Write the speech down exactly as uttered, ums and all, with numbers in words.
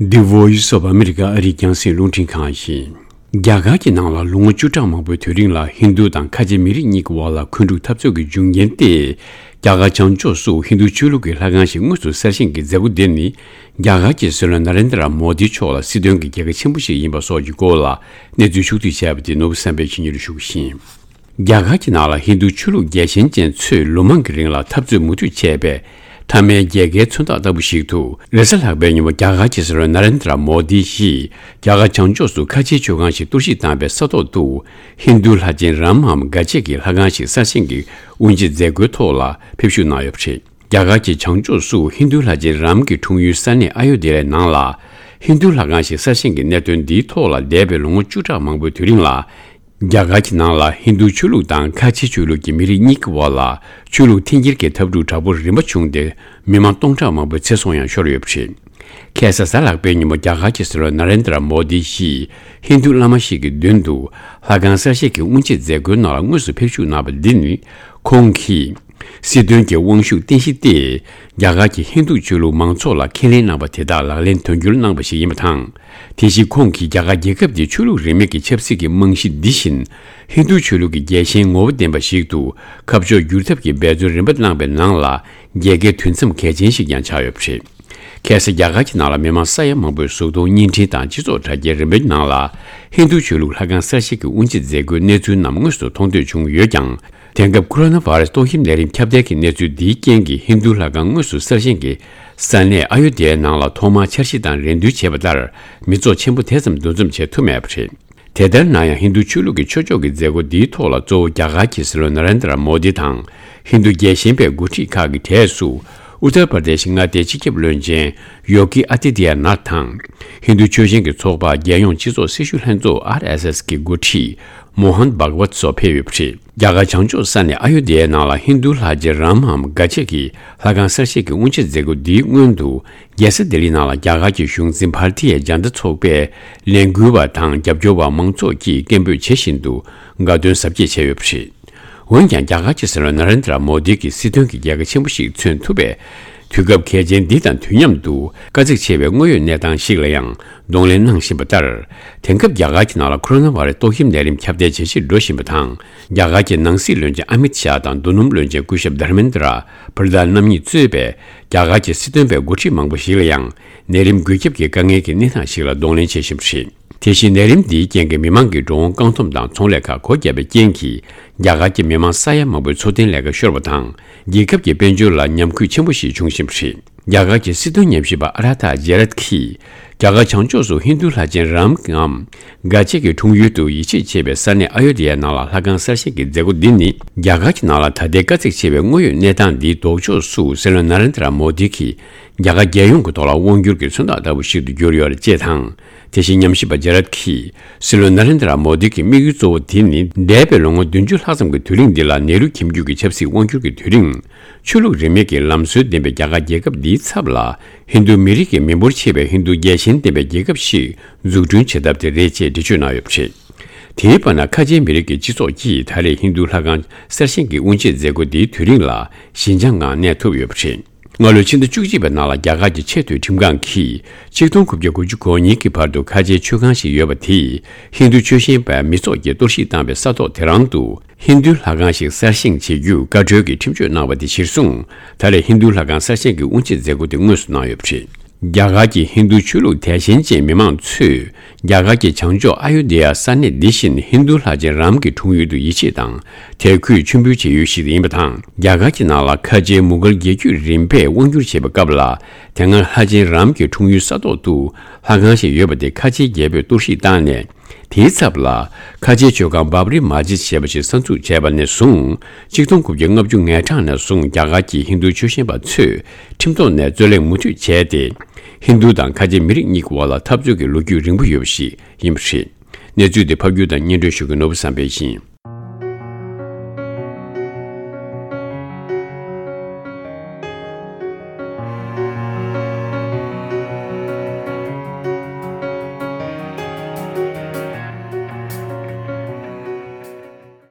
The Voice of America ཨ་རིའི་རྒྱང་སྲིང་རླུང་འཕྲིན་ཁང་ཡིན། རྒྱ་གར་གྱི་ནང་ལ་ལོ་ངོ་བཅུ་ཕྲག་མང་པོའི་དུས་རིང་ལ་ཧིན་རྡུ་དང་ཁ་ཆེ་མི་རིགས་གཉིས་ཀྱི་དབར་ལ་འཁོན་འཁྲུག་འཐབ་རྩོད་ཀྱི་འབྱུང་རྐྱེན་ཏེ། རྒྱ་གར་བྱང་ཕྱོགས་སུ་ཧིན་རྡུ་ཆོས་ལུགས་ཀྱི་ལྷ་ཁང་ཞིག་དངོས་སུ་གསར་བཞེངས་ཀྱི་མཛད་སྒོ་འདི་ནི། རྒྱ་གར་གྱི་སྲིད་བློན་ན་རེན་དྲ་མོ་དི་མཆོག་ལ་སྲིད་དོན་གྱི་རྒྱལ་ཁ་ཆེན་པོ་ཞིག་ཡིན་པ་སོགས་ཀྱི་སྐོར་ལ་གནས་ཚུལ་ཕྱོགས་བསྡུས་བྱས་པ་དེ་ནོར་བུ་བསམ་འཕེལ་གྱིས་སྙན་སྒྲོན་ཞུ་གི་ཡིན། རྒྱ་གར་གྱི་ནང་ལ་ཧིན་རྡུ་ཆོས་ལུགས་རྒྱལ་ཞེན་ཅན་ཚོས་ལོ་མང་གི་རིང་ལ་འཐབ་རྩོད་མུ་མཐུད་བྱས་པའི་མཐའ་མའི་རྒྱལ་ཁའི་མཚོན་རྟགས་ལྟ་བུ་ཞིག་ཏུ། རེས་གཟའ་ལྷག་པའི་ཉིན་མོ་རྒྱ་གར་གྱི་སྲིད་བློན་ན་རེན་དྲ་མོ་དི་ཡིས་རྒྱ་གར་བྱང་ཕྱོགས་སུ་ཁ་ཆེའི་མཆོད་ཁང་ཞིག་གཏོར་བཤིག་བཏང་པའི་ས་ཐོག་ཏུ། ཧིན་རྡུ་ལྷ་ཆེན་རམ་འམ་དགའ་ཆེ་གི་ལྷ་ཁང་ཞིག་གསར་བཞེངས་ཀྱི་དབུ་འབྱེད་མཛད་སྒོའི་ཐོག་ལ་ཕེབས་བཞུགས་གནང་ཡོད་པ་རེད། རྒྱ་གར་གྱི་བྱང་ཕྱོགས་སུ་ཧིན་རྡུ་ལྷ་ཆེན་རམ་གྱི་འཁྲུངས་ཡུལ་ས་གནས་ཨ་ཡོ་དྷྱ་ཡའི་ནང་ལ། ཧིན་རྡུ་ལྷ་ཁང་ཞིག་གསར་བཞེངས་ཀྱི་གནད་དོན་འདིའི་ཐོག་ལ་འདས་པའི་ལོ་ངོ་བཅུ་ཕྲག་མང་པོའི་དུས་རིང་ལ། རྒྱ་གར་གྱི་ནང་ལ་ཧིན་རྡུ་ཆོས་ལུགས་དང་ཁ་ཆེ་ཆོས་ལུགས་ཀྱི་མི་རིགས་གཉིས་ཀྱི་དབར་ལ་ཆོས་ལུགས་འཐེན་འཁྱེར་གྱི་འཐབ་འཁྲུག་དྲག་པོ་རིམ་པ་བྱུང་སྟེ། མི་མང་སྟོང་ཕྲག་མང་པོའི་ཚེ་སྲོག་ཡང་ཤོར་ཡོད་པ་རེད། ཁ་སང་གཟའ་ལྷག་པའི་ཉིན་མོ་རྒྱ་གར་གྱི་སྲིད་བློན་ན་རེན་དྲ་མོ་དི་ཡིས་ཧིན་རྡུ་བླ་མ་ཞིག་གི་མདུན་དུ་ལྷ་ཁང་གསར་བཞེངས་ཀྱི་དབུ་འབྱེད་མཛད་སྒོའི་ནང་ལ་དངོས་སུ་ཕེབས་བཞུགས་གནང་བ་འདི་ནི། ཁོང་གིས་སྲིད་དོན་གྱི་དབང་ཤུགས་བརྟན་གཞི་སྟེ། རྒྱ་གར་གྱི་ཧིན་རྡུ་ཆོས་ལུགས་མང་ཚོགས་ལ་ཁས་ལེན་གནང་བ་དེ་དག་ལག་ལེན་དོན་འཁྱོལ་གནང་བ་ཞིག་ཡིན་པ་དང་། དེ་བཞིན་ཁོང་གིས་རྒྱ་གར་རྒྱལ་ཁབ་འདི་ཆོས་ལུགས་རིས་མེད་ཀྱི་ཆབ་སྲིད་ཀྱི་རྨང་གཞི་འདི་བཞིན། ཧིན་རྡུ་ཆོས་ལུགས་ཀྱི་རྒྱལ་ཞེན་ངོ་བོ་ལྡན་པ་ཞིག་ཏུ་ཁ་ཕྱོགས་བསྒྱུར་ཐབས་ཀྱི་འབད་བརྩོན་རིམ་པ་གནང་པའི་ནང་ལ། རྒྱལ་ཁའི་དུས་མཚམས་གལ་ཆེན་ཞིག་ཀྱང་ཆགས་ཡོད་པ་རེད། ཁ་སང་རྒྱ་གར་གྱི་ནང་ལ་མི་མང་ས་ཡ་མང་པོས་གཟུགས་མཐོང་བརྙན་འཕྲིན་དང་སྤྱི་ཚོགས་དྲ་རྒྱའི་རིམ་པའི་ནང་ལ། ཧིན་རྡུ་ཆོས་ལུགས་ལྷ་ཁང་གསར་བཞེངས་ཀྱི་དབུ་འབྱེད་མཛད་སྒོའི་གནས་ཚུལ་རྣམས་དངོས་སུ་མཐོང་ཐོས་བྱུང་ཡོད་ཀྱང་། དེང་སྐབས་ཁོ་རོ་ན་བྷ་རེ་སི་ཏོག་དབྱིབས་ནད་རིམས་ཁྱབ་གདལ་གྱི་གནས་ཚུལ་འདིའི་རྐྱེན་གྱིས་ཧིན་རྡུ་ལྷ་ཁང་དངོས་སུ་གསར་བཞེངས་ཀྱི་ས་གནས་ཨ་ཡོ་དྷྱ་ཡའི་ནང་ལ་ཐོག་མར་འཆར་གཞི་དང་རེ་འདུན་བྱས་པ་ལྟར། མི་ཚོགས་ཆེན་པོ་དེ་ཙམ་འདུ་འཛོམས་བྱེད་ཐུབ་མེད་པ་རེད། དེ་ལྟར་ན་ཡང་ཧིན་རྡུ་ཆོས་ལུགས་ཀྱི་ཆོས་ཕྱོགས་ཀྱི་མཛད་སྒོ་འདིའི་ཐོག་ལ་གཙོ་བོ་རྒྱ་གར་གྱི་སྲིད་བློན་ན་རེན་དྲ་མོ་དི་དང་། ཧིན་རྡུ་རྒྱལ་ཞེན་པའི་འགོ་ཁྲིད་ཁག་གི་གྲས་སུ། ཨུ་ཏར་པར་དེ་ཤི་མངའ་སྡེའི་སྤྱི་ཁྱབ་བློན་ཆེན་ཡོ་གི་ཨ་ཏི་ཏི་ཡ་ནཱ་ཐ་དང་། ཧིན་རྡུ་ཆོས་ཞེན་གྱི་ཚོགས་པ་རྒྱལ་ཡོངས་སྤྱི་ཚོགས་སྲི་ཞུ་ལྷན་ཚོགས་ཨར་ཨེས་ཨེས་ཀྱི་འགོ་ཁྲིད་མོ་ཧན་བྷག་ཝད་སོགས་ཕེབས་ཡོད་པ་རེད། རྒྱ་གར་བྱང་ཕྱོགས་ས་གནས་ཨ་ཡོ་དྷྱ་ཡའི་ནང་ལ་ཧིན་རྡུ་ལྷ་རྗེ་རམ་འམ་དགའ་ཆེ་གི་ལྷ་ཁང་གསར་བཞེངས་ཀྱི་དབུ་འབྱེད་མཛད་སྒོ་འདིའི་སྔོན་དུ། རྒྱལ་ས་ལྡི་ལི་ནང་ལ་རྒྱ་གར་གྱི་གཞུང་འཛིན་བྷར་ཏི་ཡ་ཇན་ད་ཚོགས་པའི་ལས་འགུལ་བ་དང་རྒྱབ་སྐྱོར་བ་མང་ཚོགས་ཀྱིས་སྐད་འབོད་བྱེད་བཞིན་དུ་དགའ་སྟོན་གཟབ་རྒྱས་བྱས་ཡོད་པ་རེད། འོན་ཀྱང་། རྒྱ་གར་གྱི་སྲིད་བློན་ན་རེན་དྲ་མོ་དི་གི་སྲིད་དོན་གྱི་རྒྱལ་ཁ་ཆེན་པོ་ཞིག་མཚོན་ཐུབ་པའི་དུས་སྐབས་གལ་ཆེན་འདི་དང་དུས་མཉམ་དུ་དཀའ་ཚེགས་ཆེ་བའི་དངོས་ཡོད་གནས་སྟངས་ཤིག་ལ་ཡང་གདོང་ལེན་གནང་བཞིན་པ་ལྟར། དེང་སྐབས་རྒྱ་གར་གྱི་ནང་ལ་ཁོ་རོ་ན་བྷ་རེ་སི་ཏོག་དབྱིབས་ནད་རིམས་ཁྱབ་གདལ་ཇེ་ཆེར་འགྲོ་བཞིན་པ་དང་། རྒྱ་གར་གྱི་ནང་སྲིད་བློན་ཆེན་ཨ་མིད་ཤཱ་དང་རྡོ་སྣུམ་བློན་ཆེན་སྐུ་ཞབས་དྷར་མེན་དྲ་པྲ་དྷན་རྣམ་གཉིས་གཙོས་པའི་རྒྱ་གར་གྱི་སྲིད་དོན་པའི་འགོ་ཁྲིད་མང་པོ་ཞིག་ལ་ཡང་ནད་རིམས་འགོས་ཁྱབ་ཀྱི་དཀའ་ངལ་གྱི་གནས་སྟངས་ཤིག་ལ་གདོང་ལེན་བྱེད་བཞིན་པ་རེད། དེ་བཞིན་ནད་རིམས་འདིའི་རྐྱེན་གྱིས་མི་མང་གི་འགྲོ་འོང་བཀག་སྡོམ་དང་ཚོང་ལས་ཁག་སྒོ་བརྒྱབ་པའི་རྐྱེན་གྱིས། རྒྱ་གར་གྱི་མི་མང་ས་ཡ་མང་པོའི་འཚོ་རྟེན་ལས་ཀ་ཤོར་བ་དང་། རྒྱལ་ཁབ་ཀྱི་དཔལ་འབྱོར་ལ་ཉམས་རྒུད་ཆེན་པོ་ཞིག་འབྱུང་བཞིན་པ་རེད། རྒྱ་གར་གྱི་སྲིད་དོན་ཉམས་ཞིབ་པ་ཨ་ར་ཐ་ཇེ་རད་ཀྱིས། རྒྱ་གར་བྱང་ཕྱོགས་སུ་ཧིན་རྡུ་ལྷ་ཆེན་རམ་འམ་དགའ་ཆེ་གི་འཁྲུངས་ཡུལ་དུ་ཡིད་ཆེས་བྱེད་པའི་ས་གནས་ཨ་ཡོ་དྷྱ་ཡའི་ནང་ལ་ལྷ་ཁང་གསར་བཞེངས་ཀྱི་མཛད་སྒོ་འདི་ནི། རྒྱ་གར་གྱི་ནང་ལ་ད་ལྟའི་དཀའ་ཚེགས་ཆེ་བའི་དངོས་ཡོད་གནས་སྟངས་འདིའི་ལྡོག་ཕྱོགས་སུ་སྲིད་བློན་ན་རེན་དྲ་མོ་དི་གིས། རྒྱ་གར་རྒྱལ་ཡོངས་ཀྱི་ཐོག་ལ་དབང་བསྒྱུར་གྱི་མཚོན་རྟགས་ལྟ་བུ་ཞིག་ཏུ་གྱུར་ཡོད་རེད་ཅེས་དང་། དེ་བཞིན་ཉམས་ཞིབ་པ་ཇེ་རད་ཀྱིས། སྲིད་བློན་ན་རེན་དྲ་མོ་དི་གི་དམིགས་ཡུལ་གཙོ་བོ་དེ་ནི། འདས་པའི་ལོ་ངོ་བདུན་ཅུ་ལྷག་ཙམ་གྱི་དུས་རིང་འདི་ལ་ནེ་རུ་ཁྱིམ་རྒྱུད་ཀྱི་ཆབ་སྲིད་དབང་བསྒྱུར་གྱི་དུས་རིང་། ཆོས་ལུགས་རིས་མེད་ཀྱི་ལམ་སྲོལ་ལྡན་པའི་རྒྱ་གར་རྒྱལ་ཁབ་འདིའི་ཚབ་ལ། ཧིན་རྡུ་མི་རིགས་ཀྱི་མི་འབོར་ཆེ་བའི་ཧིན་རྡུ་རྒྱལ་ཞེན་ལྡན་པའི་རྒྱལ་ཁབ་ཞིག་འཛུགས་སྐྲུན་བྱེད་ཐབས་དེ་རེད་ཅེས་འགྲེལ་བརྗོད་གནང་ཡོད་པ་རེད། དེའི་བར་ན། ཁ་ཆེའི་མི་རིགས་ཀྱི་སྤྱི་ཚོགས་ཀྱིས་ད་རེས་ཧིན་རྡུ་ལྷ་ཁང་གསར་བཞེངས་ཀྱི་དབུ་འབྱེད་མཛད་སྒོ་འདིའི་དུས་རིང་ལ་ཞི་འཇགས་ངང་གནས་ཐུབ་ཡོད་པ་རེད། སྔ་ལོའི་ཕྱི་ཟླ་བཅུ་གཅིག་པའི་ནང་ལ་རྒྱ་གར་གྱི་ཆེས་མཐོའི་ཁྲིམས་ཁང་གིས་ཆིག་སྟོང་དགུ་བརྒྱ་དགུ་བཅུ་གོ་གཉིས་ཀྱི་བར་དུ་ཁ་ཆེའི་མཆོད་ཁང་ཞིག་ཡོད་པ་དེས་ཧིན་རྡུ་ཆོས་ཞེན་པ་མི་ཚོགས་ཀྱིས་གཏོར་བཤིག་བཏང་བའི་ས་ཐོག་དེ་རང་དུ་ཧིན་རྡུའི་ལྷ་ཁང་ཞིག་གསར་བཞེངས་བྱེད་རྒྱུ་བཀའ་འཁྲོལ་གྱི་ཁྲིམས་གཅོད་གནང་བ་དེ་གཞིར་བཟུང་། ད་རེས་ཧིན་རྡུའི་ལྷ་ཁང་གསར་བཞེངས་ཀྱི་དབུ་འབྱེད་མཛད་སྒོ་དེ་དངོས་སུ་གནང་ཡོད་པ་རེད། རྒྱ་གར་གྱི་ཧིན་རྡུ་ཆོས་ལུགས་དད་ཞེན་ཅན་མི་མང་ཚོས། རྒྱ་གར་གྱི་བྱང་ཕྱོགས་ཨ་ཡོ་དྷྱ་ཡ་ས་གནས་འདི་བཞིན་ཧིན་རྡུ་ལྷ་ཆེན་རམ་གྱི་འཁྲུངས་ཡུལ་དུ་ཡིད་ཆེས་དང་དད་གུས་མཆོད་འབུལ་བྱེད་ཡུལ་ཞིག་ཡིན་པ་དང་། རྒྱ་གར་གྱི་ནང་ལ་ཁ་ཆེའི་མུ་གལ་རྒྱལ་རྒྱུད་རིམ་པས་དབང་བསྒྱུར་བྱེད་པའི་སྐབས་ལ། དེ་སྔར་ལྷ་ཆེན་རམ་གྱི་འཁྲུངས་ཡུལ་ས་ཐོག་ཏུ་ལྷ་ཁང་ཞིག་ཡོད་པ་དེ་ཁ་ཆེའི་རྒྱལ་པོས་གཏོར་བཤིག་བཏང་ནས། དེའི་ཚབ་ལ། ཁ་ཆེའི་མཆོད་ཁང་བྷབ་རི་མ་ཇིད་ཞེས་པ་ཞིག་གསར་འཛུགས་བྱས་པ་ནས་བཟུང་། ཆིག་སྟོང་དགུ་བརྒྱ་ལྔ་བཅུ་ང་གྲངས་ནས་བཟུང་རྒྱ་གར་གྱི་ཧིན་རྡུ་ཆོས་ཞེན་པ་ཚོས་ཁྲིམས་ཐོག་ནས་རྩོད་གླེང་མུ་མཐུད་བྱས་ཏེ། ཧིན་རྡུ་དང་ཁ་ཆེ་མི་རིགས་གཉིས་ཀྱི་དབར་ལ་འཐབ་རྩོད་ཀྱི་ལོ་རྒྱུས་རིང་པོ་ཡོད་པ་ཞིག་ཡིན་པ་རེད། གནས་ཚུལ་འདི་ཕབ་སྒྱུར་དང་སྙན་སྒྲོན་ཞུ་མཁན་ནོར་བུ་བསམ་འཕེལ་ཡིན།